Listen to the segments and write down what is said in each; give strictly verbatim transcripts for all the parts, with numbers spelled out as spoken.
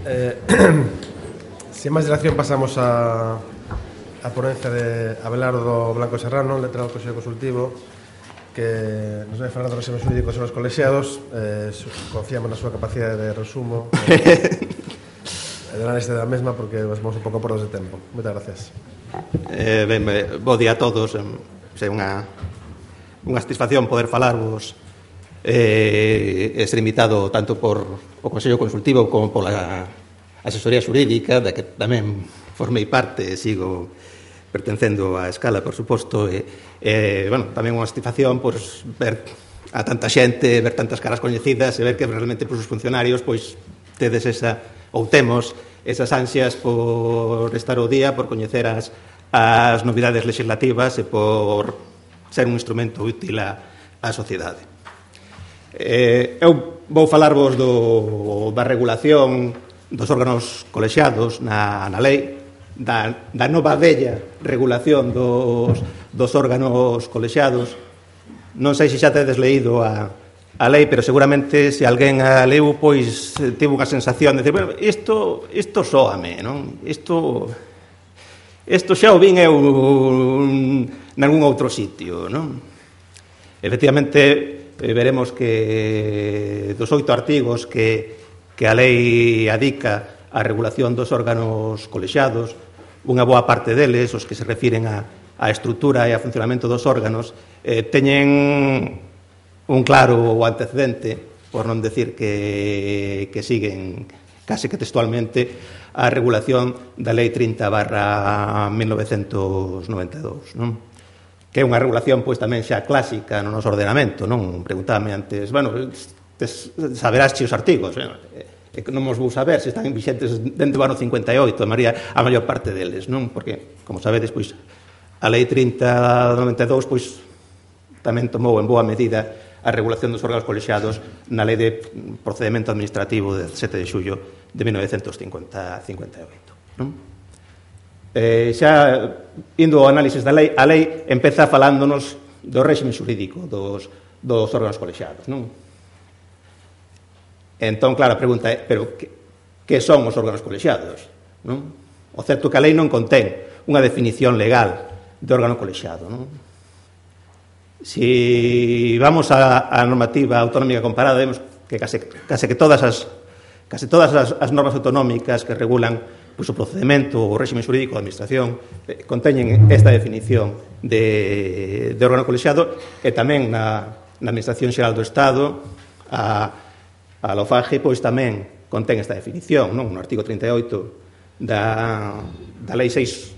Eh, sin máis dilación pasamos a a ponencia de Abelardo Blanco Serrano, letrado do Consello Consultivo, que nos vai falar dos reximes jurídicos e os colexiados. eh, Confiamos na súa capacidade de resumo e de análise da mesma, porque vamos un pouco por dos de tempo. Moitas gracias. Eh, ben, bo día a todos. É unha, unha satisfacción poder falarvos eh, e ser invitado tanto por o Consello Consultivo como pola asesoría xurídica, da que tamén formei parte e sigo pertencendo á Escala, por suposto, e, e bueno, tamén unha satisfacción pois, ver a tanta xente, ver tantas caras coñecidas e ver que realmente pois, os funcionarios pois tedes esa, ou temos esas ansias por estar ao día, por coñecer as, as novidades legislativas e por ser un instrumento útil á, á sociedade. Eh, eu vou falarvos do, da regulación dos órganos colexiados na, na lei, da, da nova bella regulación dos, dos órganos colexiados. Non sei se xa tedes leído a, a lei, pero seguramente se alguén a leu, pois tivo unha sensación de decir, bueno, isto, isto soame, non? Isto, isto xa o vin eu nalgún outro sitio, non? Efectivamente, veremos que dos oito artigos que, que a lei adica a regulación dos órganos colexiados, unha boa parte deles, os que se refiren a, a estrutura e a funcionamento dos órganos, eh, teñen un claro antecedente, por non decir que, que siguen case que textualmente a regulación da Lei trinta barra mil novecentos noventa e dous, non? Que é unha regulación pois tamén xa clásica no noso ordenamento, non? Preguntábame antes, bueno, tes, saberás che os artigos, bueno, e que non os vou saber se están vixentes dentro do ano cincuenta e oito, a maioría, a maior parte deles, non? Porque, como sabedes, pois, a Lei trinta noventa e dous, pois, tamén tomou en boa medida a regulación dos órganos colexiados na Lei de Procedimento Administrativo de sete de xullo de mil novecentos cincuenta e oito, non? Eh, xa, indo ao análisis da lei, a lei empeza falándonos do réxime xurídico dos, dos órganos colexiados, non? Entón, claro, a pregunta é, pero que, que son os órganos colexiados? Non? O certo que a lei non contén unha definición legal de órgano colexiado, non? Si vamos á, á normativa autonómica comparada, vemos que case, case que todas as case todas as, as normas autonómicas que regulan pois, o procedimento ou o réxime xurídico da administración eh, conteñen esta definición de, de órgano colexiado, e tamén na, na Administración Xeral do Estado a A LOFAGE, pois, tamén contén esta definición, non? No artigo trinta e oito da, da Lei seis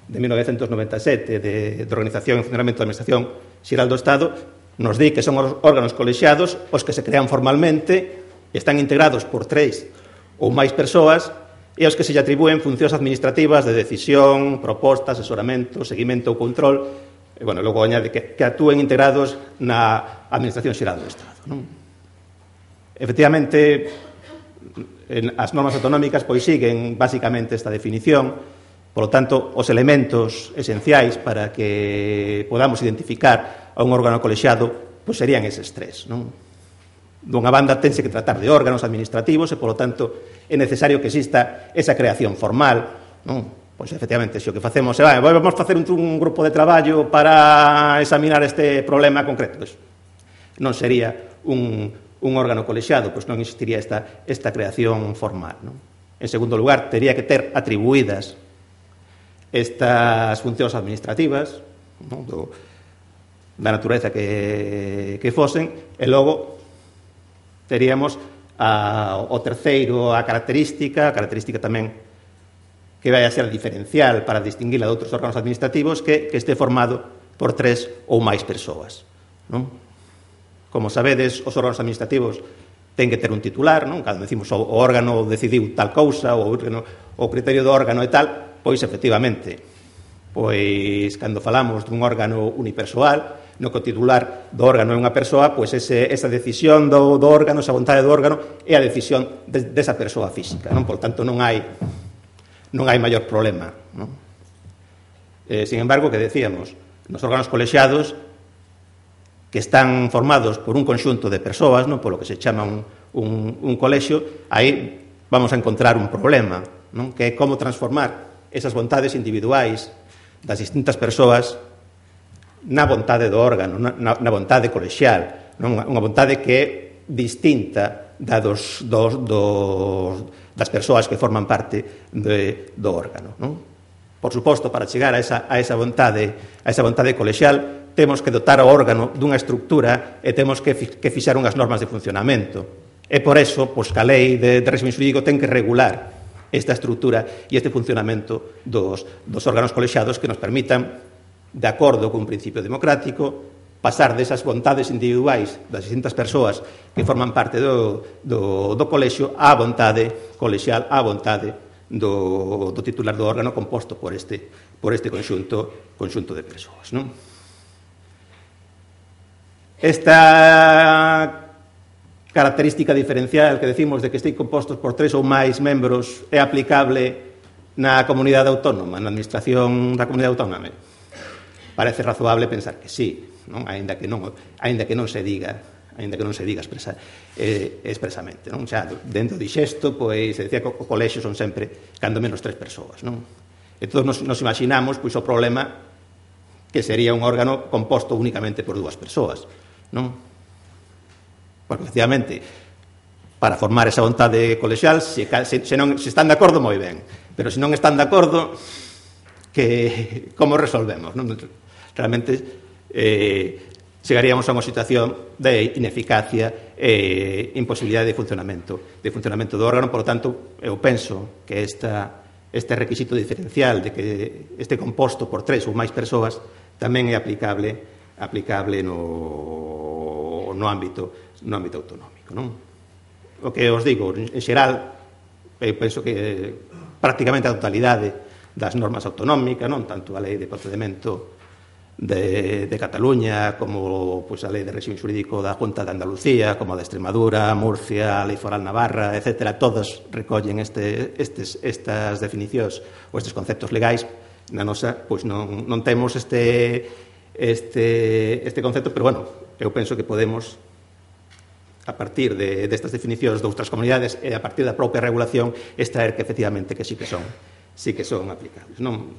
de mil novecentos noventa e sete de, de Organización e Funcionamento da Administración Xeral do Estado, nos di que son os órganos colexiados os que se crean formalmente e están integrados por tres ou máis persoas e os que se lle atribúen funcións administrativas de decisión, proposta, asesoramento, seguimento ou control, e, bueno, logo añade que, que actúen integrados na Administración Xeral do Estado, non? Efectivamente, as normas autonómicas pois siguen basicamente esta definición, polo tanto, os elementos esenciais para que podamos identificar a un órgano colexiado pois serían eses tres, non? Dunha banda, tense que tratar de órganos administrativos e, polo tanto, é necesario que exista esa creación formal, non? Pois, efectivamente, se o que facemos é, vamos facer un, un grupo de traballo para examinar este problema concreto, pois, non sería un un órgano colexiado, pois non existiría esta, esta creación formal, non? En segundo lugar, tería que ter atribuídas estas funcións administrativas, non? Do, da natureza que, que fosen, e logo teríamos a, o terceiro, a característica, a característica tamén que vai a ser diferencial para distinguila de outros órganos administrativos, que, que este formado por tres ou máis persoas, non? Como sabedes, os órganos administrativos ten que ter un titular, non? Cando decimos o órgano decidiu tal cousa, o, órgano, o criterio do órgano e tal, pois, efectivamente, pois, cando falamos dun órgano unipersoal, no que o titular do órgano é unha persoa, pois ese, esa decisión do, do órgano, esa vontade do órgano, é a decisión de, desa persoa física, non? Por tanto, non hai non hai maior problema, non? Eh, sin embargo, que decíamos, nos órganos colexiados que están formados por un conxunto de persoas, non, polo que se chama un, un, un colexio, aí vamos a encontrar un problema, non? Que é como transformar esas vontades individuais das distintas persoas na vontade do órgano, na, na vontade colexial, non? Unha vontade que é distinta da dos, dos, dos, das persoas que forman parte de, do órgano, non? Por suposto, para chegar a esa, a esa vontade a esa vontade colexial temos que dotar o órgano dunha estructura e temos que, que fixar unhas normas de funcionamento. E por eso, pois, que a lei de, de régimen xurídico ten que regular esta estructura e este funcionamento dos, dos órganos colexiados que nos permitan, de acordo con un principio democrático, pasar desas vontades individuais das distintas persoas que forman parte do, do, do colexio á vontade colexial, á vontade do, do titular do órgano composto por este, por este conxunto, conxunto de persoas, non? Esta característica diferencial que decimos de que estén compostos por tres ou máis membros é aplicable na comunidade autónoma, na administración da comunidade autónoma? Parece razoable pensar que sí, non? Aínda que non, aínda que non se diga, aínda que non se diga expresa, eh, expresamente, non? Xa, dentro de xesto, pois, se decía que o colexio son sempre, cando menos, tres persoas, non? E todos nos, nos imaginamos, pois, o problema que sería un órgano composto únicamente por dúas persoas, non? Porque, efectivamente, para formar esa vontade colexial, se, se, se, non, se están de acordo, moi ben, pero se non están de acordo, que como resolvemos, non? Realmente eh, chegaríamos a unha situación de ineficacia e imposibilidade de funcionamento de funcionamento do órgano. Por lo tanto, eu penso que esta, este requisito diferencial de que este composto por tres ou máis persoas tamén é aplicable aplicable no, no ámbito no ámbito autonómico, non? O que os digo, en xeral, eu penso que prácticamente a totalidade das normas autonómicas, non tanto a lei de procedimento de, de Cataluña como pois, a lei de régimen xurídico da Junta de Andalucía, como a de Extremadura, Murcia, a lei foral navarra, etcétera, todas recollen este, estes, estas definicións ou estes conceptos legais. Na nosa, pois non, non temos este, este, este concepto, pero, bueno, eu penso que podemos, a partir de, destas definicións de outras comunidades e a partir da propia regulación, extraer que, efectivamente, que sí que son sí que son aplicables, non?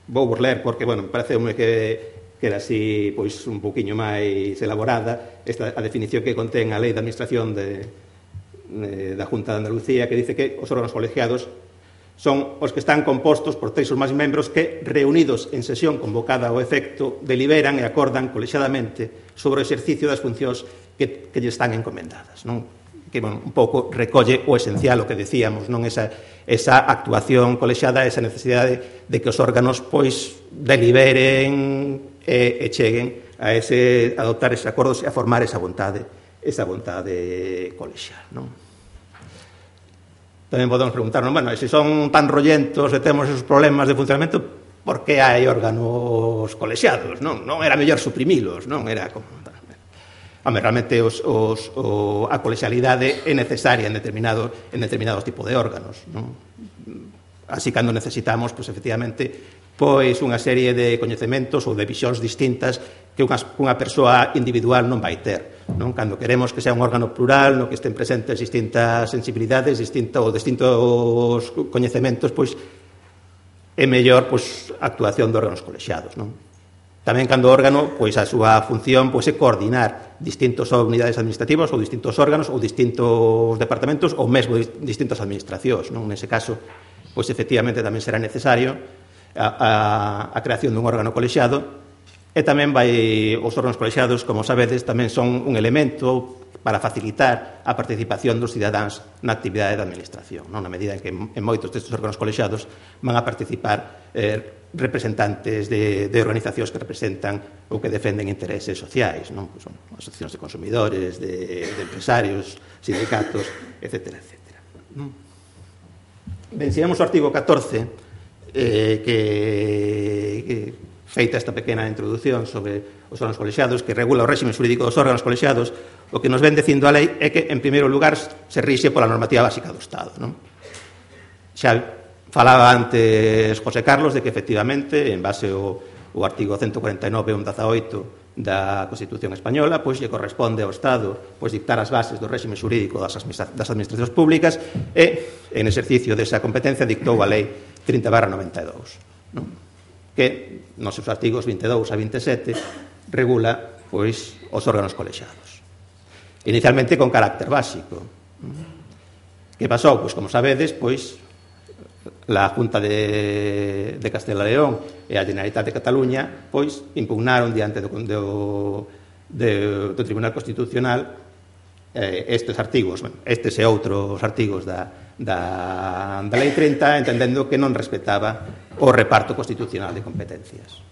Vou vos ler porque, bueno, pareceume que, que era así, pois, un pouquiño máis elaborada esta, a definición que contén a Lei de Administración de, de, da Junta de Andalucía, que dice que os órganos colegiados son os que están compostos por tres ou máis membros que, reunidos en sesión convocada ao efecto, deliberan e acordan colexiadamente sobre o exercicio das funcións que, que lle están encomendadas, non? Que, bueno, un pouco recolle o esencial, o que decíamos, non? Esa, esa actuación colexiada, esa necesidade de que os órganos, pois, deliberen e, e cheguen a ese, a adoptar eses acordos e a formar esa vontade, esa vontade colexial, non? Tamén podemos preguntarnos, bueno, se son tan rollentos e temos esos problemas de funcionamento, por que hai órganos colexiados, non? Non era mellor suprimilos, non? Era como... Home, realmente os, os, o, a colexialidade é necesaria en, determinado, en determinados tipos de órganos, non? Así, cando necesitamos, pois, efectivamente, pois, unha serie de coñecementos ou de visións distintas que unha, unha persoa individual non vai ter, non? Cando queremos que sea un órgano plural, no que estén presentes distintas sensibilidades, distinto, ou distintos coñecementos, pois, é mellor, pois, a actuación de órganos colexiados, non? Tamén, cando o órgano, pois, a súa función, pois, é coordinar distintos unidades administrativas ou distintos órganos ou distintos departamentos ou mesmo distintas administracións, non? Nese caso, pois, efectivamente, tamén será necesario a, a, a creación dun órgano colexiado e tamén vai, os órganos colexiados, como sabedes, tamén son un elemento para facilitar a participación dos cidadáns na actividade da administración, non? Na medida en que en moitos destes órganos colexiados van a participar eh, representantes de, de organizacións que representan ou que defenden intereses sociais, non? Pues son asociacións de consumidores, de, de empresarios, sindicatos, etcétera, etcétera. Ben, sigamos o artigo catorce, eh, que, que feita esta pequena introdución sobre os órganos colexiados, que regula o réxime xurídico dos órganos colexiados, o que nos ven dicindo a lei é que, en primeiro lugar, se rixe pola normativa básica do Estado, non? Xa falaba antes José Carlos de que, efectivamente, en base ao, ao artigo ciento cuarenta e nove punto dezaoito da Constitución Española, pois lle corresponde ao Estado, pois, dictar as bases do réxime xurídico das administracións públicas e en exercicio desa competencia, dictou a Lei trinta barra noventa e dous, non? Que nos seus artigos vinte e dous a vinte e sete regula, pois, os órganos colexiados. Inicialmente con carácter básico. Que pasou? Pois, como sabedes, pois, a Junta de, de Castela e León e a Generalitat de Cataluña, pois, impugnaron diante do, do, do, do Tribunal Constitucional eh, estes artigos, bueno, estes e outros artigos da, da, da Lei trinta, entendendo que non respetaba o reparto constitucional de competencias.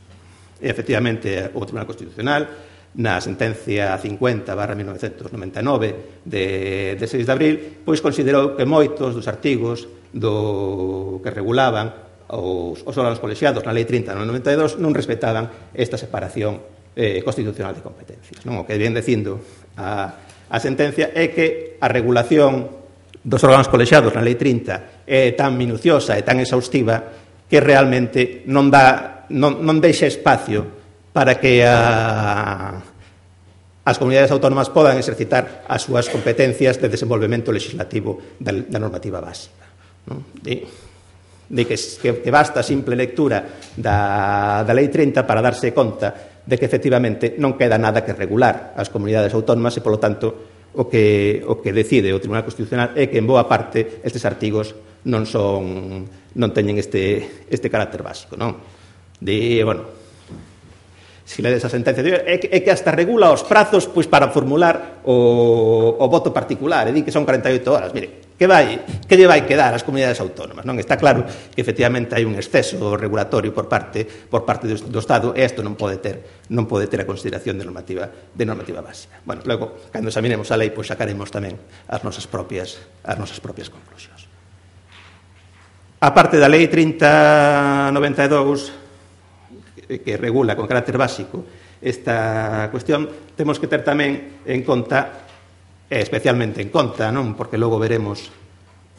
E, efectivamente, o Tribunal Constitucional, na sentencia cincuenta barra mil novecentos noventa e nove de, de seis de abril, pois considerou que moitos dos artigos do que regulaban os, os órganos colexiados na Lei trinta barra noventa e dous non respetaban esta separación eh, constitucional de competencias. Non? O que ven dicindo a, a sentencia é que a regulación dos órganos colexiados na Lei trinta é tan minuciosa e tan exhaustiva que realmente non dá, non, non deixa espacio para que a, as comunidades autónomas podan exercitar as súas competencias de desenvolvemento legislativo da, da normativa básica. Non? De, de que, que, que basta a simple lectura da, da Lei trinta para darse conta de que efectivamente non queda nada que regular as comunidades autónomas e, polo tanto, o que, o que decide o Tribunal Constitucional é que, en boa parte, estes artigos non son non teñen este, este carácter básico. Non? De, bueno, se ledes a sentencia, é que, é que hasta regula os prazos pois, para formular o, o voto particular, e di que son cuarenta e oito horas. Mire, que vai, que lle vai quedar ás comunidades autónomas? Non está claro que efectivamente hai un exceso regulatorio por parte por parte do, do Estado, e isto non pode ter non pode ter a consideración de normativa de normativa básica. Bueno, logo, cando examinemos a lei, pois sacaremos tamén as nosas propias as nosas propias conclusións. A parte da Lei trinta barra noventa e dous, que regula con carácter básico esta cuestión, temos que ter tamén en conta, e especialmente en conta, non? Porque logo veremos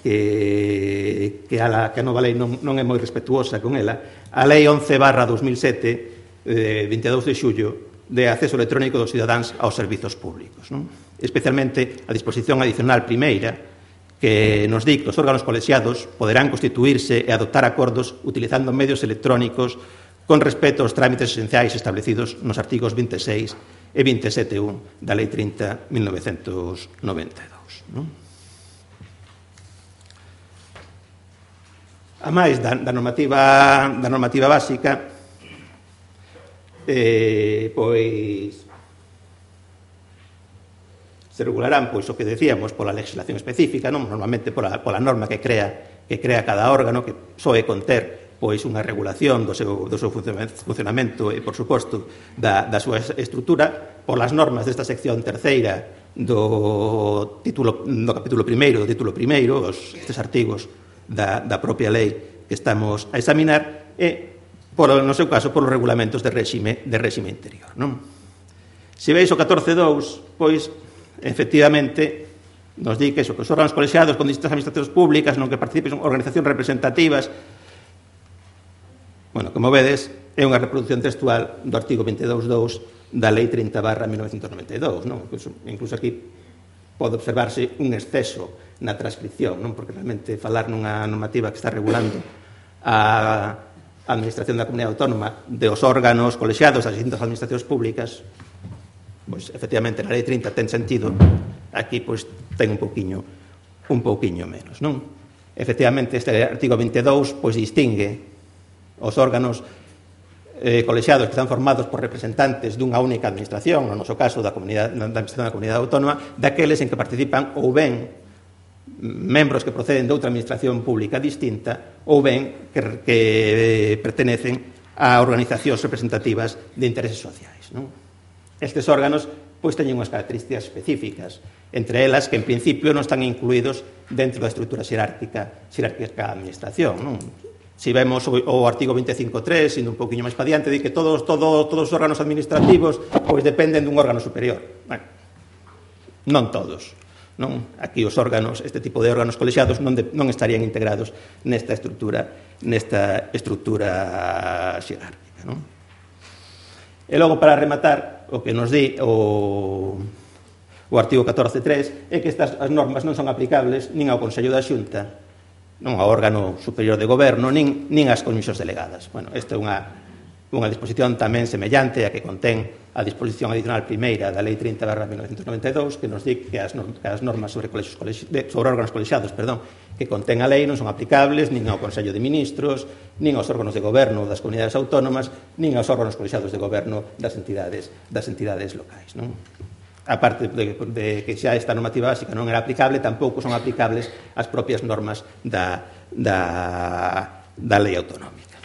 que, que, a, la, que a nova lei non, non é moi respetuosa con ela, a Lei once barra dos mil sete, de vinte e dous de xullo, de acceso electrónico dos cidadáns aos servizos públicos, non? Especialmente a disposición adicional primeira, que nos di que os órganos colexiados poderán constituirse e adoptar acordos utilizando medios electrónicos con respecto aos trámites esenciais establecidos nos artigos vinte e seis e vinte e sete punto un da Lei trinta barra mil novecentos noventa e dous. Non? A máis da, da, normativa, da normativa básica, eh, pois se regularán, pois, o que decíamos, pola legislación específica, non? Normalmente pola, pola norma que crea, que crea cada órgano, que soe conter pois unha regulación do seu, do seu funcionamento e, por suposto, da, da súa estrutura, polas normas desta sección terceira do, título, do capítulo primeiro, do título primeiro, os, estes artigos da, da propia lei que estamos a examinar, e, por, no seu caso, polos regulamentos de réxime, de réxime interior. Non? Se veis o catorce punto dous, pois, efectivamente, nos di que, eso, que os órganos colexiados con distintas administracións públicas non que participen organizacións representativas. Bueno, como vedes, é unha reproducción textual do artigo vinte e dous punto dous da Lei trinta barra mil novecentos noventa e dous, non? Incluso, incluso aquí pode observarse un exceso na transcripción, non? Porque realmente falar nunha normativa que está regulando a administración da comunidade autónoma de os órganos colexiados das distintas administracións públicas, pois, efectivamente, na Lei trinta ten sentido, aquí, pois, ten un pouquiño, un pouquiño menos, non? Efectivamente, este artigo vinte e dous, pois, distingue os órganos eh, colexiados que están formados por representantes dunha única administración, no noso caso da, comunidade, da administración da comunidade autónoma, daqueles en que participan ou ben membros que proceden de outra administración pública distinta ou ben que, que pertenecen a organizacións representativas de intereses sociais. Non? Estes órganos pois teñen unhas características específicas, entre elas que en principio non están incluídos dentro da estrutura xerárquica xerárquica da administración. Non? Si vemos o, o artigo vinte e cinco punto tres, indo un poquinho máis pa diante, di que todos, todos, todos os órganos administrativos pois dependen dun órgano superior. Bueno, non todos. Non? Aquí os órganos, este tipo de órganos colexiados non, de, non estarían integrados nesta estrutura, nesta estrutura xerárquica. Non? E logo, para rematar, o que nos di o, o artigo catorce punto tres é que estas as normas non son aplicables nin ao Consello da Xunta non ao órgano superior de goberno, nin, nin ás comisións delegadas. Bueno, esta é unha, unha disposición tamén semellante a que contén a disposición adicional primeira da Lei trinta barra mil novecentos noventa e dous, que nos di que as, que as normas sobre, colexios, de, sobre órganos colexiados perdón, que contén a lei non son aplicables nin ao Consello de Ministros, nin aos órganos de goberno das comunidades autónomas, nin aos órganos colexiados de goberno das entidades, das entidades locais. Non? A parte de, de que xa esta normativa básica non era aplicable, tampouco son aplicables as propias normas da, da, da lei autonómica.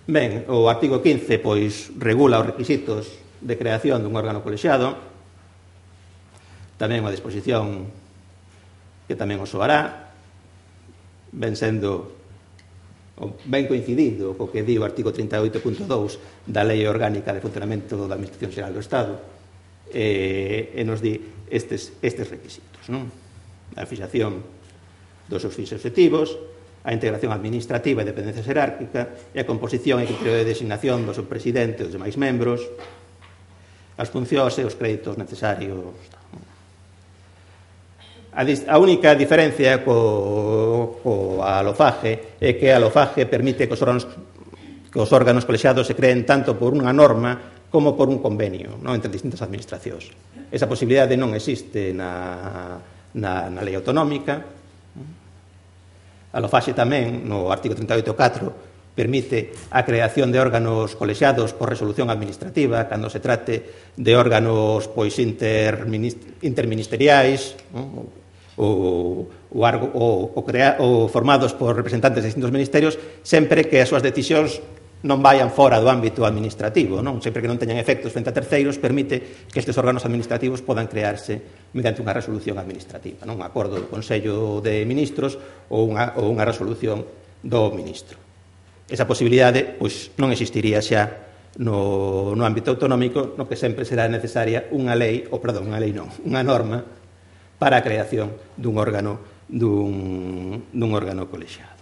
Ben, o artigo quince pois regula os requisitos de creación dun órgano colexiado, tamén unha disposición que tamén os soará, ben sendo ben coincidido co que di o artigo trinta e oito punto dous da Lei Orgánica de Funcionamento da Administración Xeral do Estado, e, e nos di estes, estes requisitos, non? A fixación dos seus fins objetivos, a integración administrativa e dependencia xerárquica e a composición e criterio de designación do seu presidente e dos demais membros, as funcións e os créditos necesarios. A, a única diferencia co, co a LOFAGE é que a LOFAGE permite que os órganos, que os órganos colexiados se creen tanto por unha norma como por un convenio, non, entre distintas administracións. Esa posibilidade non existe na, na, na lei autonómica. A LOFAGE tamén, no artigo trinta e oito punto catro, permite a creación de órganos colexiados por resolución administrativa cando se trate de órganos pois interministeriais, non? ou, ou, ou, ou, crea, ou formados por representantes de distintos ministerios, sempre que as súas decisións non vayan fora do ámbito administrativo, non? Sempre que non teñan efectos frente a terceiros, permite que estes órganos administrativos podan crearse mediante unha resolución administrativa, non? Un acordo do Consello de Ministros ou unha, ou unha resolución do ministro. Esa posibilidade pois, non existiría xa no, no ámbito autonómico, no que sempre será necesaria unha lei, ou perdón, unha lei non, unha norma para a creación dun órgano, dun, dun órgano colexiado.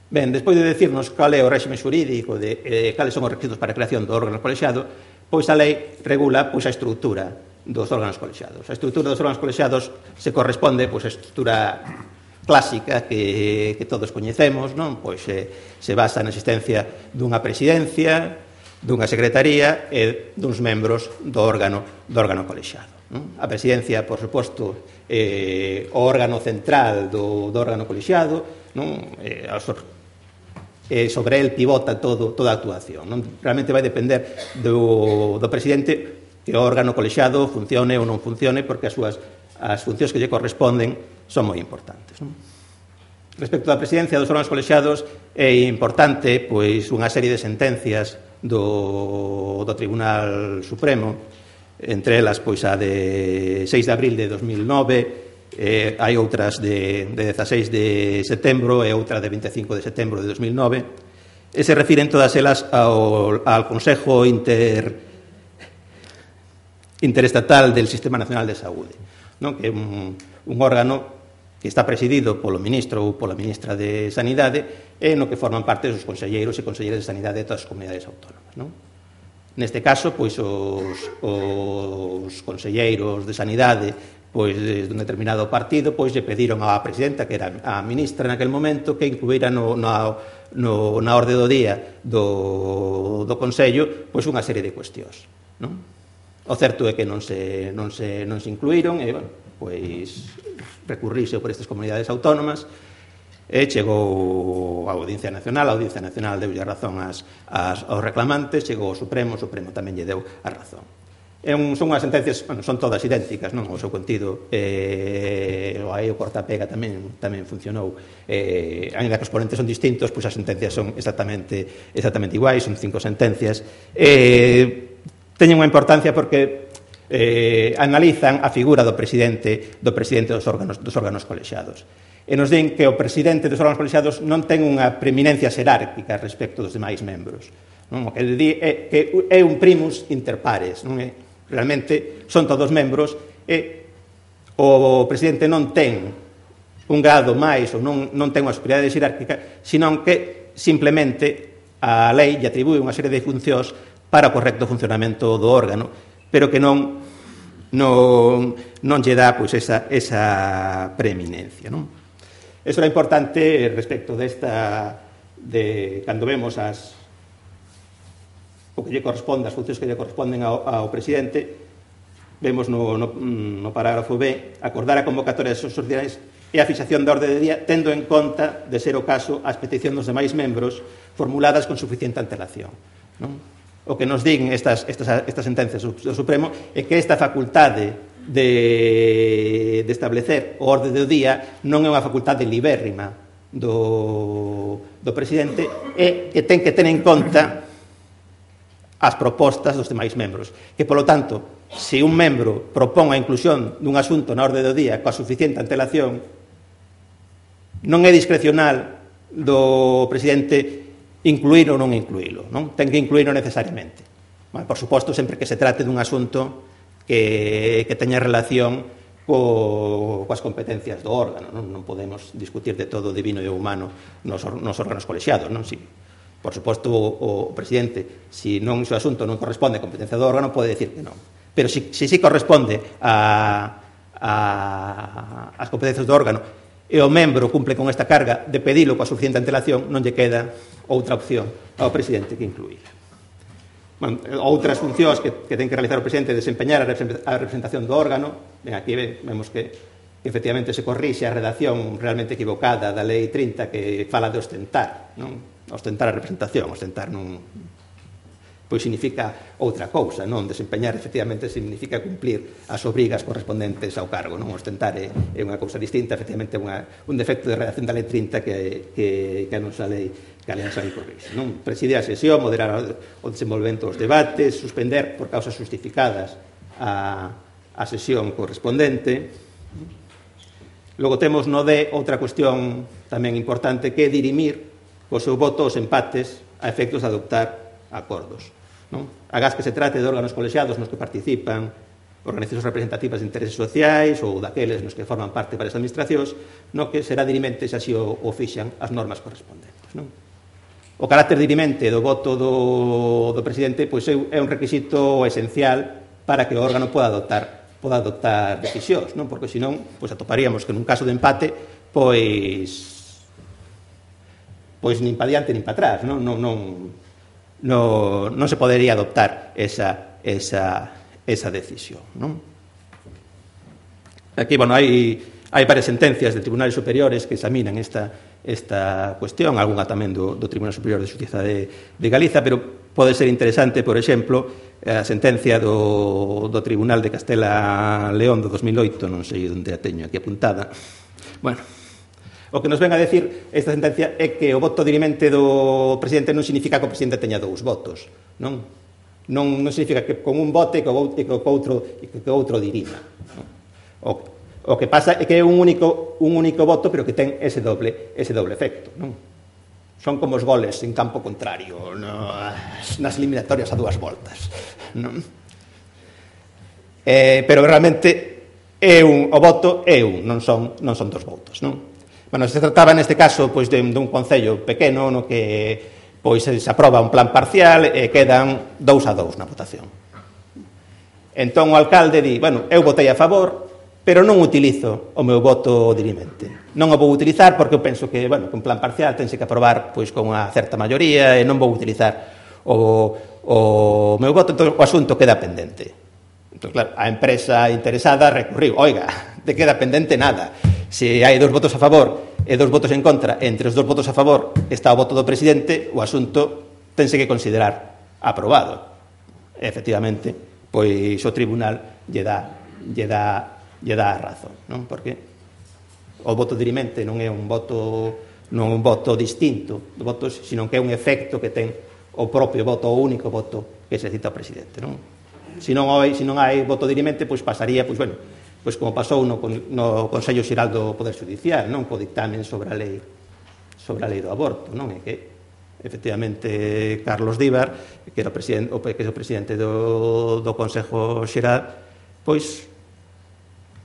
Ben, despois de decirnos cal é o réxime xurídico de eh, cales son os requisitos para a creación do órgano colexiado, pois a lei regula pois, a estrutura dos órganos colexiados. A estrutura dos órganos colexiados se corresponde pois, a estrutura clásica que, que todos coñecemos, non? Pois eh, se basa na existencia dunha presidencia, dunha secretaría e duns membros do órgano, do órgano colexiado. Non? A presidencia, por suposto, eh, o órgano central do, do órgano colexiado, non? Eh, e sobre el pivota todo, toda a actuación. Non? Realmente vai depender do, do presidente que o órgano colexiado funcione ou non funcione, porque as súas as funcións que lle corresponden son moi importantes. Non? Respecto da presidencia dos órganos colexiados, é importante pois, unha serie de sentencias do, do Tribunal Supremo, entre elas pois, a de seis de abril de dos mil nove, Eh, hai outras de, de dezaseis de setembro e outra de veinticinco de setembro de dos mil nove, e se refiren todas elas ao, ao Consejo Inter, Interestatal del Sistema Nacional de Saúde, non? Que é un, un órgano que está presidido polo ministro ou pola ministra de Sanidade e no que forman parte os conselleiros e conselleiras de Sanidade de todas as comunidades autónomas. Non? Neste caso, pois, os, os conselleiros de Sanidade pois desde un determinado partido pois lle pediron á presidenta, que era a ministra naquel momento, que incluíra no, no, no, na orde do día do, do Consello pois unha serie de cuestións, non? O certo é que non se, non se, non se incluíron e, bueno, pois recurrixe por estas comunidades autónomas e chegou a Audiencia Nacional, a Audiencia Nacional deulle a razón as, as, aos reclamantes, chegou ao Supremo, o Supremo tamén lle deu a razón. É un, son unhas sentencias, bueno, son todas idénticas, non? O seu contido, eh, aí o cortapega tamén tamén funcionou. Eh, ainda que os ponentes son distintos, pois as sentencias son exactamente exactamente iguais, son cinco sentencias. Eh, teñen unha importancia porque eh, analizan a figura do presidente do presidente dos órganos dos órganos colexiados. E nos din que o presidente dos órganos colexiados non ten unha preeminencia xerárquica respecto dos demais membros. Non? O que di é que é un primus inter pares, non é? Realmente son todos membros e o presidente non ten un grado máis ou non, non ten unha superioridade xerárquica, senón que simplemente a lei lle atribúe unha serie de funcións para o correcto funcionamento do órgano, pero que non non, non lle dá pois, esa, esa preeminencia. Non? Eso era importante respecto desta, de cando vemos as, o que lle corresponde, as funcións que lle corresponden ao, ao presidente, vemos no, no, no parágrafo B, acordar a convocatoria das extraordinarias e a fixación da orde de día, tendo en conta, de ser o caso, as peticións dos demais membros formuladas con suficiente antelación. Non? O que nos din estas, estas, estas sentencias do Supremo é que esta facultade de, de establecer o orde do día non é unha facultade libérrima do, do presidente, e que ten que ter en conta as propostas dos demais membros, que, polo tanto, se un membro propón a inclusión dun asunto na orde do día coa suficiente antelación, non é discrecional do presidente incluir ou non incluílo, non? Ten que incluílo necesariamente. Bueno, por suposto, sempre que se trate dun asunto que, que teña relación co, coas competencias do órgano, non? Non podemos discutir de todo o divino e o humano nos, nos órganos colexiados, non? Si, por suposto, o, o presidente, se non o seu asunto non corresponde a competencia do órgano, pode decir que non. Pero se si, si, si corresponde a, a, as competencias do órgano e o membro cumple con esta carga de pedilo coa suficiente antelación, non lle queda outra opción ao presidente que incluíla. Bueno, outras funcións que, que ten que realizar o presidente é desempeñar a representación do órgano. Ben, aquí vemos que, que efectivamente se corrixe a redacción realmente equivocada da lei trinta, que fala de ostentar, non? Ostentar a representación, ostentar non, pois significa outra cousa, non? Desempeñar efectivamente significa cumplir as obrigas correspondentes ao cargo, non? Ostentar é, é unha cousa distinta, efectivamente unha, un defecto de redacción da lei trinta que, que, que a nosa lei que a lei corrixe, non? Presidir a sesión, moderar o desenvolvemento dos debates, suspender por causas justificadas a, a sesión correspondente. Logo temos no D outra cuestión tamén importante, que é dirimir o seu voto os empates a efectos de adoptar acordos. Non? Agás que se trate de órganos colexiados nos que participan organizacións representativas de intereses sociais ou daqueles nos que forman parte para as administracións, no que será dirimente se así o, o fixan as normas correspondentes. Non? O carácter dirimente do voto do, do presidente pois, é un requisito esencial para que o órgano poda adoptar, poda adoptar decisións, non? Porque senón pois, atoparíamos que nun caso de empate pois pois nin para diante nin para atrás, non, non, non, non, non se podería adoptar esa, esa, esa decisión. Non? Aquí, bueno, hai, hai varias sentencias de tribunales superiores que examinan esta, esta cuestión, algunha tamén do, do Tribunal Superior de Xustiza de, de Galiza, pero pode ser interesante, por exemplo, a sentencia do, do Tribunal de Castela-León do dos mil oito, non sei onde a teño aquí apuntada. Bueno, o que nos ven a decir esta sentencia é que o voto dirimente do presidente non significa que o presidente teña dous votos, non? Non, non significa que con un vote e que o outro, que o outro dirima. Non? O, o que pasa é que é un único, un único voto, pero que ten ese doble, ese doble efecto, non? Son como os goles en campo contrario, no, nas eliminatorias a dúas voltas, non? Eh, pero realmente é un, o voto é un, non son, non son dos votos, non? Bueno, se trataba neste caso pois, de, de un concello pequeno no que pois, se aproba un plan parcial e quedan dous a dous na votación. Entón o alcalde di, bueno, eu votei a favor, pero non utilizo o meu voto dirimente. Non o vou utilizar porque eu penso que, bueno, que un plan parcial tense que aprobar pois, con unha certa maioría e non vou utilizar o, o meu voto, entón o asunto queda pendente. Entón, claro, a empresa interesada recurriu, oiga, te queda pendente nada. Se hai dous votos a favor e dous votos en contra, entre os dous votos a favor está o voto do presidente, o asunto tense que considerar aprobado. E, efectivamente, pois o tribunal lle dá, lle dá, lle dá a razón, non? Porque o voto dirimente non é un voto, non é un voto distinto do voto, sino que é un efecto que ten o propio voto, o único voto que se cita ao presidente, non? Se non hai, se non hai voto dirimente, pois pasaría, pois, bueno, pois como pasou no, no Consello Xeral do Poder Judicial, non, co dictamen sobre a lei sobre a lei do aborto, non, é que efectivamente Carlos Díbar, que era o presidente, o, que é o presidente do, do Consello Xeral, pois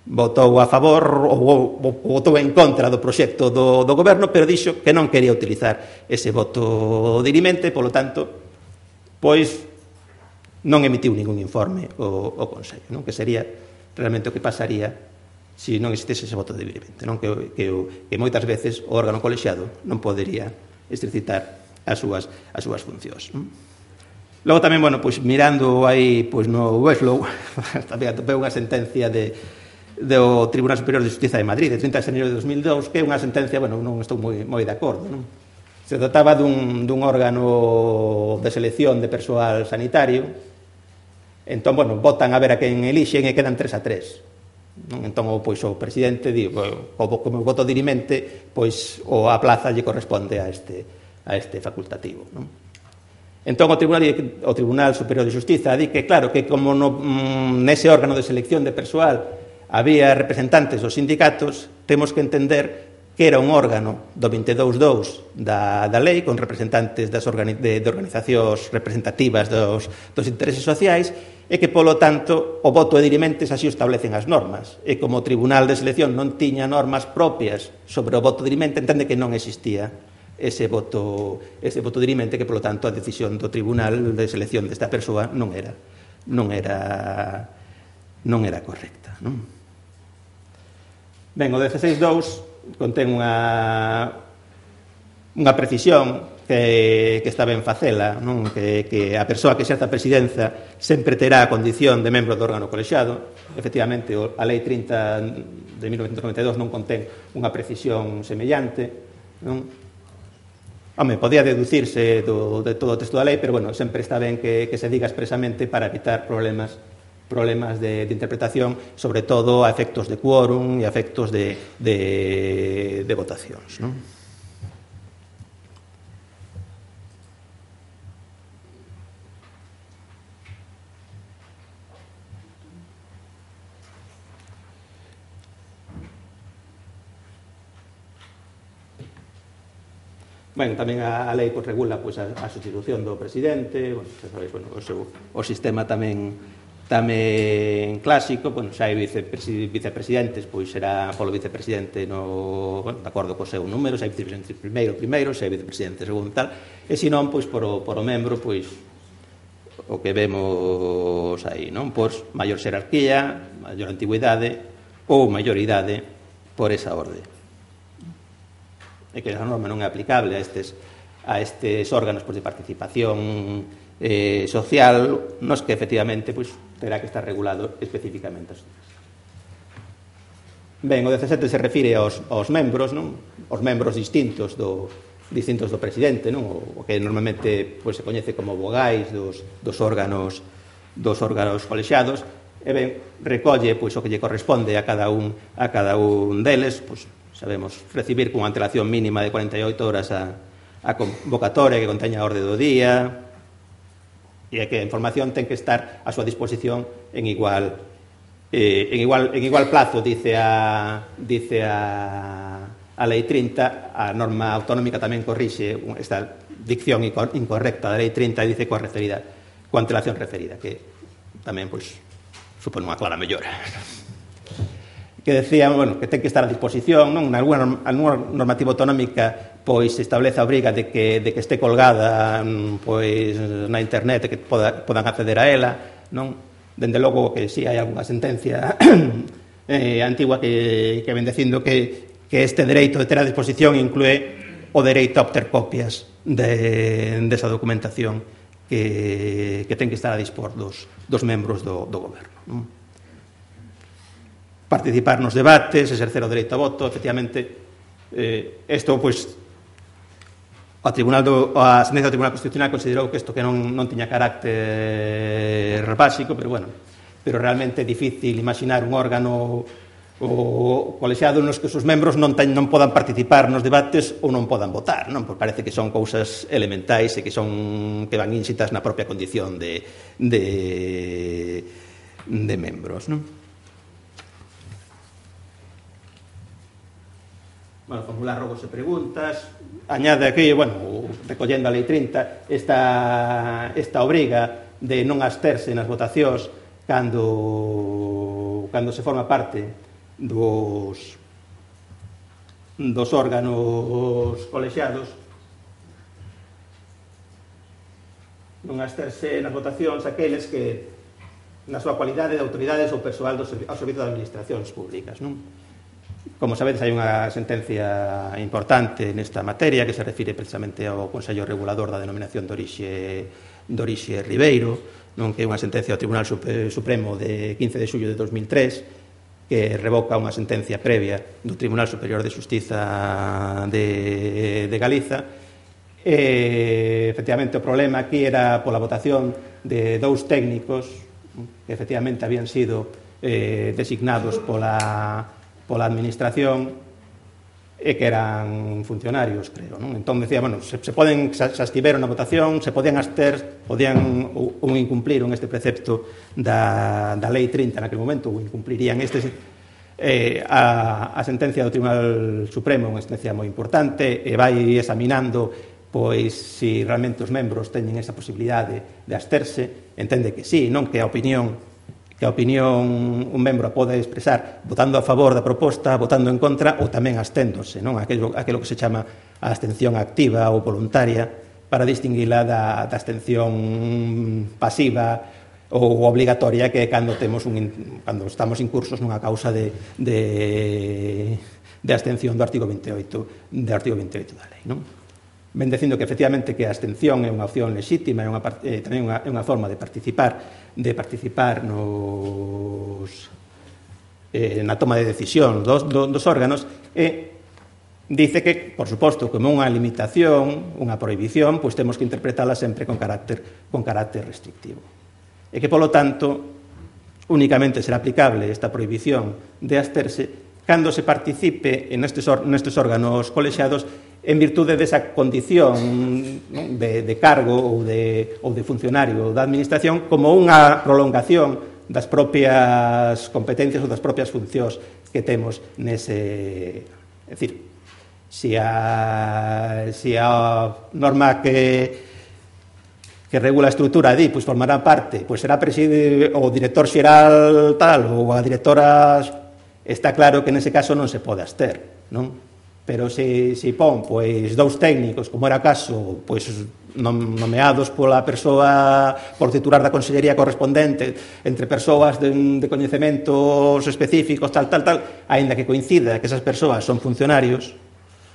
votou a favor ou, ou votou en contra do proxecto do, do goberno, pero dixo que non quería utilizar ese voto dirimente, polo tanto, pois non emitiu ningún informe o, o Consello, non, que sería realmente o que pasaría se non existese ese voto de dirimente, non? Que, que, que moitas veces o órgano colexiado non podería exercitar as súas, as súas funcións. Non? Logo tamén, bueno, pois mirando aí pois no Westlaw, tamén atopei unha sentencia de, do Tribunal Superior de Justiza de Madrid, de trinta de xaneiro de dos mil dous, que é unha sentencia, bueno, non estou moi, moi de acordo, non? Se trataba dun, dun órgano de selección de persoal sanitario, entón, bueno, votan a ver a quen elixen e quedan tres a tres. Non? Entón, pois, o presidente di, bueno, como voto dirimente, pois, o a plaza lle corresponde a este, a este facultativo, non? Entón, o Tribunal, o Tribunal Superior de Justiza di que, claro, que como no, nese órgano de selección de persoal había representantes dos sindicatos, temos que entender que era un órgano do veintidós dous da, da lei, con representantes das organi de, de organizacións representativas dos, dos intereses sociais, e que, polo tanto, o voto de dirimentes así o establecen as normas. E como o Tribunal de Selección non tiña normas propias sobre o voto de dirimente, entende que non existía ese voto, ese voto dirimente, que, polo tanto, a decisión do Tribunal de Selección desta persoa non era non era non era correcta, non? Ben, o dezasseis dous contén unha unha precisión que, que está ben facela, non? Que, que a persoa que exerza a presidenza sempre terá a condición de membro do órgano colexiado. Efectivamente, a Lei trinta de mil novecentos noventa e dous non contén unha precisión semellante, non? Home, podía deducirse do, de todo o texto da lei, pero, bueno, sempre está ben que, que se diga expresamente para evitar problemas problemas de, de interpretación, sobre todo a efectos de quórum e a efectos de, de, de votacións, non? Ben, tamén a, a lei pues, regula pues, a, a sustitución do presidente, bueno, sabéis, bueno, o, seu, o sistema tamén tamén clásico, bueno, xa hai vicepresi, vicepresidentes, pois será polo vicepresidente no, bueno, de acordo co seu número, xa hai vicepresidente primeiro, primeiro, xa hai vicepresidente segundo tal, e se non, pois, por o, por o membro, pois, o que vemos aí, non? Pois, maior xerarquía, maior antigüidade ou maior idade por esa orde. E que a norma non é aplicable a estes, a estes órganos pois, de participación eh, social, nos que efectivamente pois, terá que estar regulado especificamente. Ben, o dezasete se refire aos, aos membros, non? Os membros distintos do, distintos do presidente, non? O que normalmente pois, se coñece como vogais dos, dos órganos dos órganos colexiados, e ben, recolle pois, o que lle corresponde a cada un a cada un deles, pois, sabemos, recibir con antelación mínima de cuarenta e oito horas a, a convocatoria que conteña a orde do día, e que a información ten que estar a súa disposición en igual eh, en igual en igual plazo, dice a dice a a Lei trinta, a norma autonómica tamén corrixe esta dicción incorrecta da Lei trinta e dice coa referida, coa antelación referida, que tamén pois supone unha clara mellora. Que decía, bueno, que ten que estar a disposición, non? Nalgúna, nalgúna normativa autonómica pois se establece a obriga de que, de que este colgada pois na internet, que poda, podan acceder a ela, non? Dende logo que si sí, hai algunha sentencia eh, antigua que, que ven dicindo que, que este dereito de ter a disposición inclúe o dereito a obter copias de, de esa documentación que, que ten que estar a dispor dos, dos membros do, do goberno, non? Participar nos debates, exercer o dereito a voto, efectivamente, eh, isto, pois, o Tribunal do, a sentencia do Tribunal Constitucional considerou que isto que non, non tiña carácter básico, pero, bueno, pero realmente é difícil imaginar un órgano o colexiado nos que os seus membros non, ten, non podan participar nos debates ou non podan votar, non? Porque parece que son cousas elementais e que son que van ínxitas na propia condición de, de, de membros, non? Bueno, formular rogos e preguntas, añade aquí, bueno, recollendo a Lei trinta, esta, esta obriga de non absterse nas votacións cando, cando se forma parte dos, dos órganos colexiados, non absterse nas votacións aqueles que na súa cualidade de autoridades ou persoal do servi ao servizo das administracións públicas, non? Como sabedes, hai unha sentencia importante nesta materia que se refire precisamente ao Consello Regulador da Denominación de Orixe, de Orixe Ribeiro, non, que é unha sentencia do Tribunal Supremo de quince de xullo de dos mil tres, que revoca unha sentencia previa do Tribunal Superior de Xustiza de, de Galiza. E, efectivamente, o problema aquí era pola votación de dous técnicos que efectivamente habían sido eh, designados pola, pola administración e que eran funcionarios, creo, non? Entón, decía, bueno, se, se poden, se, se estiveron na votación, se podían abster, podían ou, ou incumpliron este precepto da, da Lei trinta naquele momento, ou incumplirían este, eh, a, a sentencia do Tribunal Supremo, unha sentencia moi importante, e vai examinando, pois, se realmente os membros teñen esa posibilidade de absterse, entende que sí, non que a opinión que a opinión un membro pode expresar votando a favor da proposta, votando en contra ou tamén absténdose, non? Aquelo, aquelo que se chama a abstención activa ou voluntaria para distinguila da, da abstención pasiva ou obligatoria que é cando temos un, cando estamos incursos nunha causa de, de, de abstención do artigo veintioito do artigo veintioito da lei, non? Ben dicindo que efectivamente que a abstención é unha opción lexítima, é unha, eh, tamén unha, é unha forma de participar de participar nos eh, na toma de decisión dos, dos órganos, e dice que, por suposto, como unha limitación, unha prohibición, pois temos que interpretala sempre con carácter, con carácter restrictivo. E que, polo tanto, únicamente será aplicable esta prohibición de absterse cando se participe nestes, nestes órganos colexiados en virtude desa condición, non, de, de cargo ou de, ou de funcionario da administración como unha prolongación das propias competencias ou das propias funcións que temos nese... É dicir, se a, se a norma que que regula a estrutura di, pois formará parte, pois será preside o director xeral tal ou a directora, está claro que nese caso non se pode abster, non? Pero se, se pon pois, dous técnicos, como era caso, pois, nomeados pola persoa, por titular da consellería correspondente, entre persoas de, de coñecementos específicos, tal, tal, tal, aínda que coincida que esas persoas son funcionarios,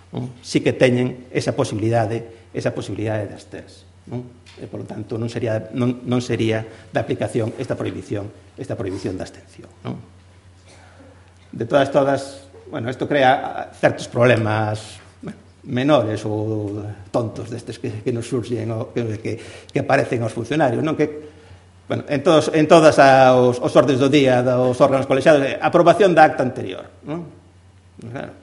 non? Sí que teñen esa posibilidade, esa posibilidade de absterse, non? E, por lo tanto, non sería, non, non sería de aplicación esta prohibición, esta prohibición da abstención, non? De todas, todas... Bueno, isto crea certos problemas bueno, menores ou tontos destes que, que nos surxen ou que, que, que aparecen aos funcionarios, non? Que, bueno, en, todos, en todas os, os ordes do día dos órganos colexiados, aprobación da acta anterior, non? Claro.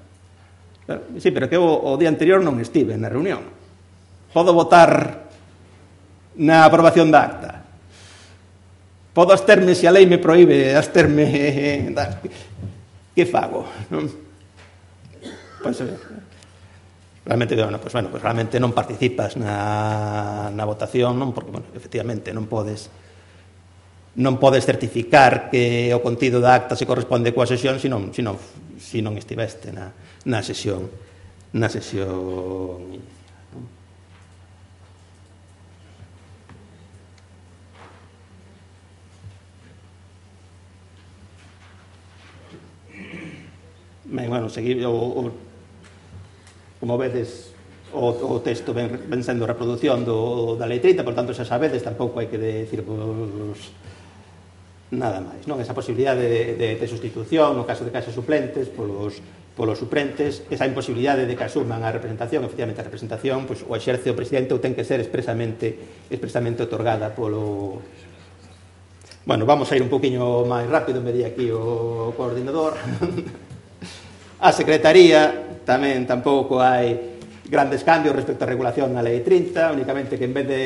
Claro. Sí, pero que o, o día anterior non estive na reunión. Podo votar na aprobación da acta. Podo absterme se a lei me proíbe absterme... Que fago? Non? Pois, realmente, bueno, pois, bueno, pois realmente non participas na, na votación, non? Porque, bueno, efectivamente, non podes non podes certificar que o contido da acta se corresponde coa sesión se non, se non, se non estiveste na, na sesión na sesión Ben, bueno, seguir o, o, como vedes o, o texto ven, ven sendo reproducción do, da Lei trinta, por tanto, xa sabedes, tampouco hai que decir pues, nada máis, non? Esa posibilidade de, de, de sustitución no caso de casos suplentes polos, polos suplentes, esa imposibilidade de que asuman a representación, efectivamente a representación, pues, o exerce o presidente ou ten que ser expresamente expresamente otorgada polo... Bueno, vamos a ir un poquinho máis rápido, me di aquí o coordinador. A Secretaría tamén tampouco hai grandes cambios respecto á regulación na Lei trinta, únicamente que en vez de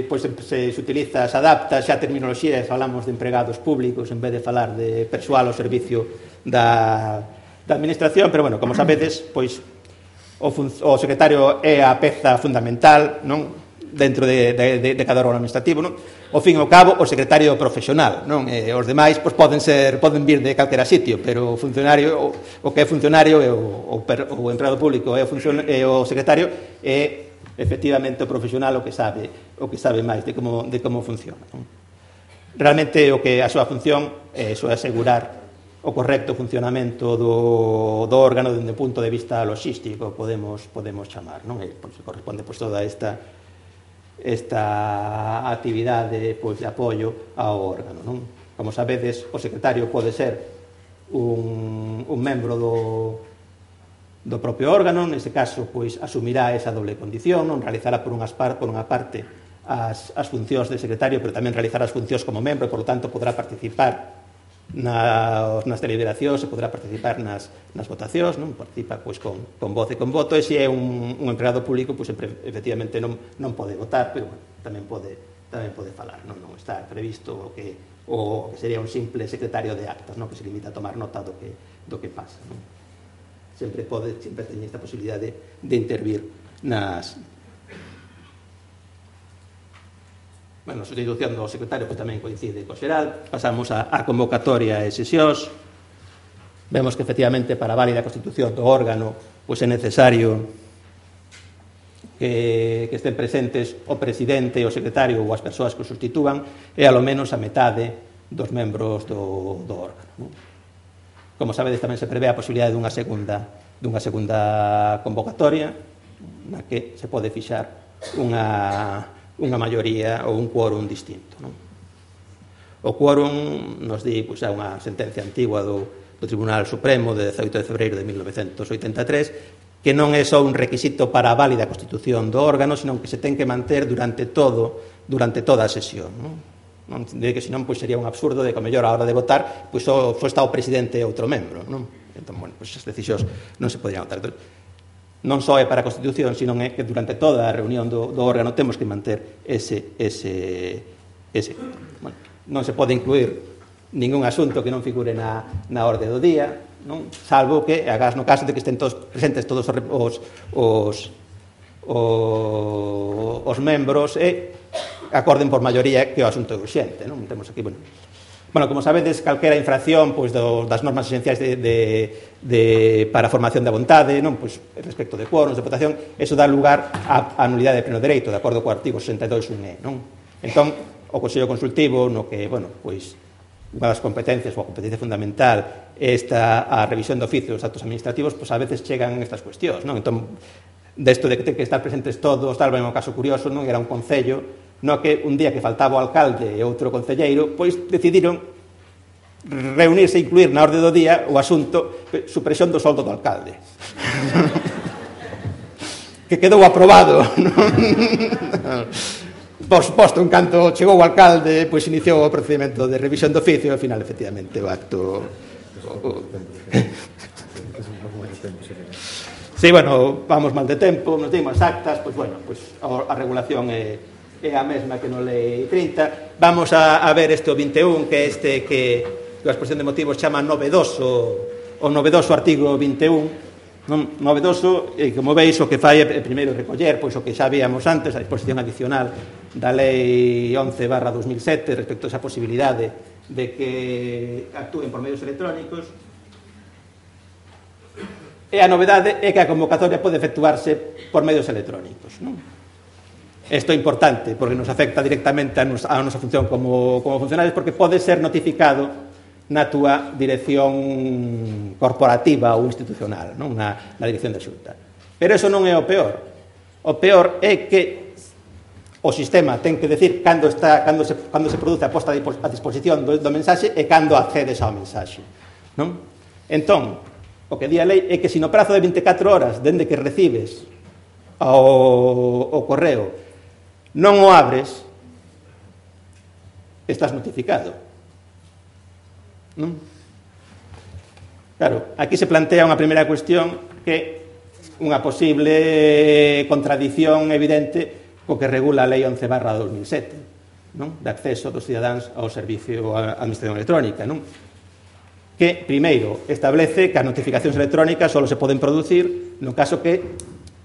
pois, se, se utiliza, se adapta xa a terminoloxía e falamos de empregados públicos en vez de falar de persoal ao servicio da, da administración, pero bueno, como sabedes, pois o, o secretario é a peza fundamental, non? Dentro de, de, de, de cada órgano administrativo, non? Ao fin e ao cabo, o secretario profesional, non? E os demais pois, poden ser poden vir de calquera sitio, pero o funcionario, o, o que é funcionario é o, o, per, o empregado público é o, funcion, é o secretario é efectivamente o profesional o que sabe o que sabe máis de como, de como funciona, non? realmente o que a súa función é iso, é asegurar o correcto funcionamento do, do órgano dende o punto de vista logístico, podemos, podemos chamar, non? E, pois, corresponde pois, toda esta esta actividade pois, de apoio ao órgano, non? Como sabedes, o secretario pode ser un, un membro do, do propio órgano, neste caso, pois, asumirá esa doble condición, non? Realizará por, unhas par, por unha parte as, as funcións de secretario, pero tamén realizará as funcións como membro, e, por lo tanto, podrá participar nas, nas deliberacións, e podrá participar nas, nas votacións, non? Participa pois, con, con voz e con voto, e se é un, un empregado público, pois, efectivamente non, non pode votar, pero bueno, tamén pode, tamén pode falar, non, non está previsto o que, o que sería un simple secretario de actas, non? Que se limita a tomar nota do que, do que pasa, non? Sempre pode, sempre ten esta posibilidade de, de intervir nas... Bueno, a sustitución do secretario pues, tamén coincide co xeral. Pasamos a, a convocatoria e sesións. Vemos que, efectivamente, para a válida constitución do órgano pues, é necesario que, que estén presentes o presidente, o secretario ou as persoas que o sustitúan e, alo menos, a metade dos membros do, do órgano. Non? Como sabedes, tamén se prevé a posibilidade dunha segunda, dunha segunda convocatoria na que se pode fixar unha... unha maioría ou un quórum distinto. Non? O quórum nos di, pois, é unha sentencia antigua do, do Tribunal Supremo de dezaoito de febreiro de mil novecentos oitenta e tres que non é só un requisito para a válida constitución do órgano, senón que se ten que manter durante todo durante toda a sesión. Non? Non de que senón pois, sería un absurdo de que a mellor a hora de votar pois, só, só está o presidente e outro membro. Non? Entón, bueno, pois, as decisións non se poderían votar. Non só é para a Constitución, sino é que durante toda a reunión do, do órgano temos que manter ese... ese, ese bueno, non se pode incluir ningún asunto que non figure na, na orde do día, non? Salvo que, agás no caso de que estén todos presentes todos os, os, os, os, os membros e acorden por maioría que o asunto é urxente. Non? Temos aquí, bueno... Bueno, como sabedes, calquera infracción pois, do, das normas esenciais de, de, de, para a formación da vontade, non? Pois, respecto de quórums, de votación, eso dá lugar a, a nulidade de pleno dereito, de acordo co artigo sesenta e dous punto un e. Non? Entón, o Consello Consultivo, no que, bueno, pois, unha das competencias, ou a competencia fundamental, esta a revisión de oficio dos actos administrativos, pois a veces chegan estas cuestións, non? Entón, desto de que ten que estar presentes todos, tal, ben, un caso curioso, non? Era un concello no que un día que faltaba o alcalde e outro concelleiro, pois decidiron reunirse e incluir na orde do día o asunto supresión do soldo do alcalde. Que quedou aprobado. Por suposto, en canto chegou o alcalde, pois iniciou o procedimento de revisión do oficio e, ao final, efectivamente, o acto... Sí, bueno, vamos mal de tempo, nos dimos actas, pois, bueno, pois a regulación é... é a mesma que no Lei trinta. Vamos a, a ver este o vinte e un, que é este que a exposición de motivos chama novedoso, o novedoso artigo vinte e un. Non, novedoso, e como veis, o que fai é primeiro recoller pois o que xa víamos antes, a disposición adicional da Lei once barra dos mil sete respecto a esa posibilidade de que actúen por medios electrónicos. E a novedade é que a convocatoria pode efectuarse por medios electrónicos, non? Isto é importante, porque nos afecta directamente a nosa, a nosa función como, como funcionarios, porque pode ser notificado na túa dirección corporativa ou institucional, non? Na, na dirección da Xunta. Pero eso non é o peor. O peor é que o sistema ten que decir cando, está, cando, se, cando se produce a posta a disposición do, do mensaxe e cando accedes ao mensaxe. Non? Entón, o que di a lei é que se no prazo de vinte e catro horas dende que recibes o, o correo non o abres, estás notificado. Non? Claro, aquí se plantea unha primeira cuestión que unha posible contradición evidente co que regula a Lei once barra dos mil sete, non? De acceso dos cidadáns ao servicio a administración electrónica, non? Que, primeiro, establece que as notificacións electrónicas só se poden producir no caso que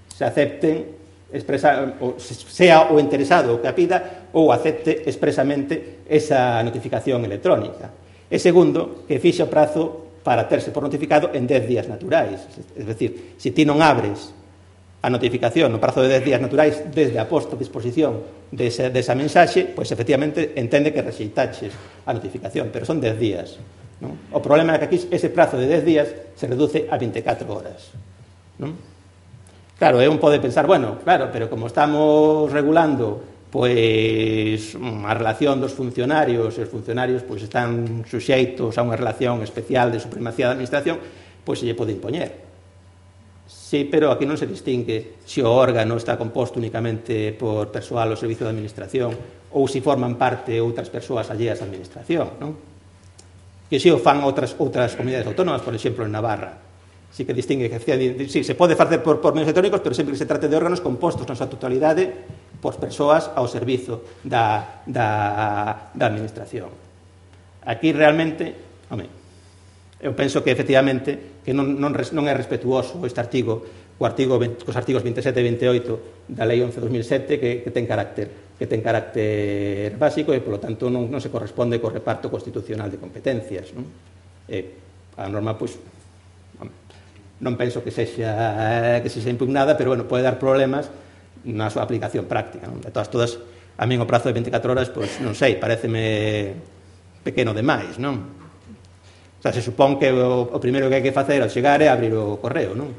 se acepten expresa, o sea o interesado o que a pida ou acepte expresamente esa notificación electrónica. E segundo, que fixe o prazo para terse por notificado en dez días naturais. É dicir, se ti non abres a notificación no prazo de dez días naturais desde a posta a disposición desa, desa mensaxe, pois efectivamente entende que rexeitaches a notificación, pero son dez días, non? O problema é que aquí ese prazo de dez días se reduce a vinte e catro horas, non? Claro, un pode pensar, bueno, claro, pero como estamos regulando pois a relación dos funcionarios, e os funcionarios pois están suxeitos a unha relación especial de supremacía da administración, pois se lle pode impoñer. Sí, pero aquí non se distingue se o órgano está composto únicamente por persoal ao servicio da administración ou se forman parte outras persoas alleas á administración, non? Que se o fan outras, outras comunidades autónomas, por exemplo, en Navarra. Sí que distingue que sí, se pode facer por, por medios electrónicos, pero sempre que se trate de órganos compostos na súa totalidade por persoas ao servizo da, da, da administración. Aquí realmente, home, eu penso que efectivamente que non, non, non é respetuoso este artigo, o artigo cos artigos veintisiete e veintioito da Lei once barra dos mil sete que, que ten carácter que ten carácter básico e, polo tanto, non, non se corresponde co reparto constitucional de competencias, non? E a norma, pois, non penso que sexa que sexa impugnada, pero, bueno, pode dar problemas na súa aplicación práctica, non? De todas, todas, a min o prazo de vinte e catro horas, pois, non sei, pareceme pequeno demais, non? O sea, se supón que o, o primeiro que hai que facer ao chegar é abrir o correo, non?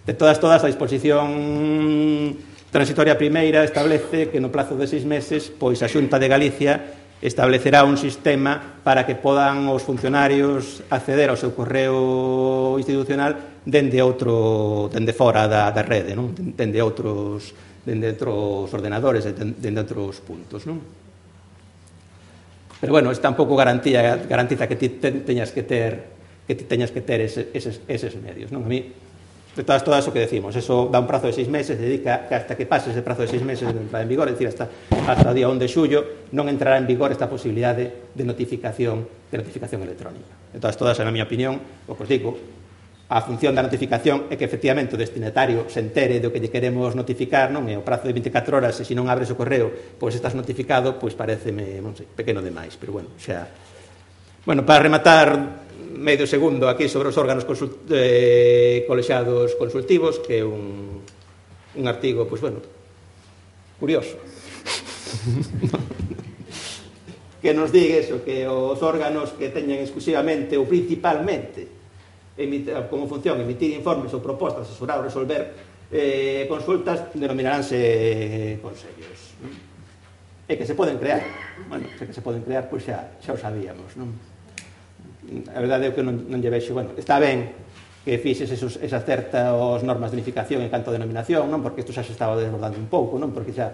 De todas, todas, a disposición transitoria primeira establece que no plazo de seis meses, pois a Xunta de Galicia establecerá un sistema para que podan os funcionarios acceder ao seu correo institucional dende outro, dende fora da, da rede, non? Dende outros, dende outros ordenadores, dende outros puntos, non? Pero, bueno, es tampouco garantía, garantiza que ti teñas que ter que ti teñas que ter ese, eses, eses medios, non? A mí, de todas, todas o que decimos, eso dá un prazo de seis meses, dedica que hasta que pase ese prazo de seis meses de entrada en vigor, é dicir, hasta, hasta o día onde de xullo, non entrará en vigor esta posibilidade de notificación de notificación electrónica. De todas, todas, na miña opinión, o que os digo, a función da notificación é que efectivamente o destinatario se entere do que lle queremos notificar, non? E o prazo de vinte e catro horas, e se non abres o correo, pois estás notificado, pois pareceme, non sei, pequeno demais, pero bueno, xa. Bueno, para rematar medio segundo aquí sobre os órganos consult eh, colexiados consultivos, que é un, un artigo, pois bueno, curioso. Que nos diga eso, que os órganos que teñen exclusivamente ou principalmente emite, como función emitir informes ou propostas, asesorar ou resolver eh, consultas, denominaránse consellos. E que se poden crear. Bueno, se que se poden crear, pois xa, xa o sabíamos, non? A verdade é que non, non lle vexo, bueno, está ben que fixes esos, esas certas normas de unificación en canto a denominación, non? Porque isto xa se estaba desbordando un pouco, non? Porque xa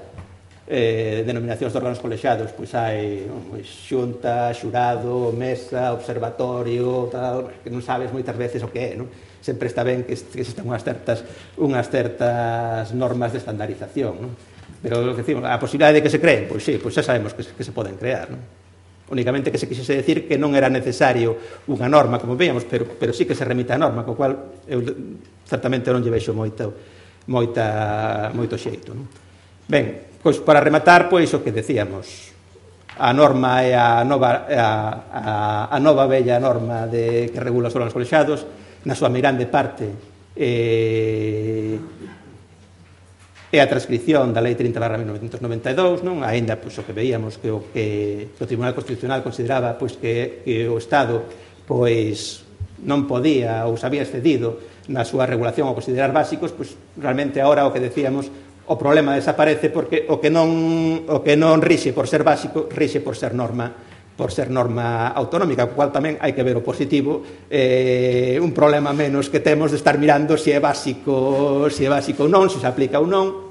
eh, denominacións de órganos colexiados, pois hai non, pois, xunta, xurado, mesa, observatorio, tal, que non sabes moitas veces o que é, non? Sempre está ben que, que existan unhas certas, unhas certas normas de estandarización, non? Pero lo que decimos, a posibilidade de que se creen, pois sí, pois xa sabemos que, que se poden crear, non? Únicamente que se quixese decir que non era necesario unha norma, como veíamos, pero, pero sí que se remite a norma, co cual eu certamente non lle vexo moita, moita, moito xeito, non? Ben, pois para rematar, pois o que decíamos, a norma é a nova, a, a, a nova bella norma de, que regula os órganos colexiados, na súa mirande parte eh, é a transcripción da Lei trinta barra mil novecentos noventa e dous, non? Aínda, pois, o que veíamos que o, que, que o Tribunal Constitucional consideraba pois, que, que o Estado pois, non podía ou se había excedido na súa regulación ao considerar básicos, pois, realmente agora o que decíamos, o problema desaparece porque o que non, o que non rixe por ser básico, rixe por ser norma por ser norma autonómica, o cual tamén hai que ver o positivo, eh, un problema menos que temos de estar mirando se é básico, se é básico ou non, se se aplica ou non,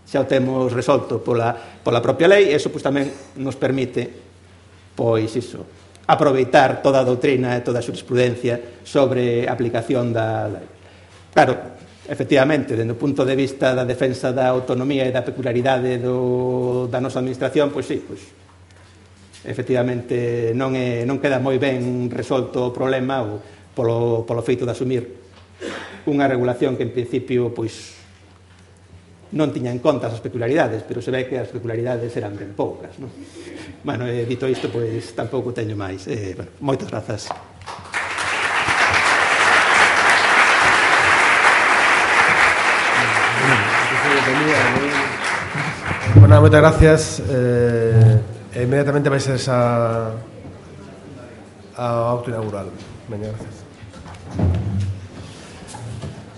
xa o temos resolto pola, pola propia lei, e iso pois, tamén nos permite, pois iso, aproveitar toda a doutrina e toda a jurisprudencia sobre a aplicación da lei. Claro, efectivamente, dende o punto de vista da defensa da autonomía e da peculiaridade do, da nosa administración, pois sí, pois efectivamente non, é, non queda moi ben resolto o problema ou polo, polo feito de asumir unha regulación que en principio pois non tiña en conta as peculiaridades, pero se ve que as peculiaridades eran ben poucas, non? Bueno, eh, dito isto, pois tampouco teño máis. Eh, bueno, moitas grazas. Bueno, moitas gracias. Eh, e inmediatamente vai ser esa ao acto inaugural. Veña, gracias.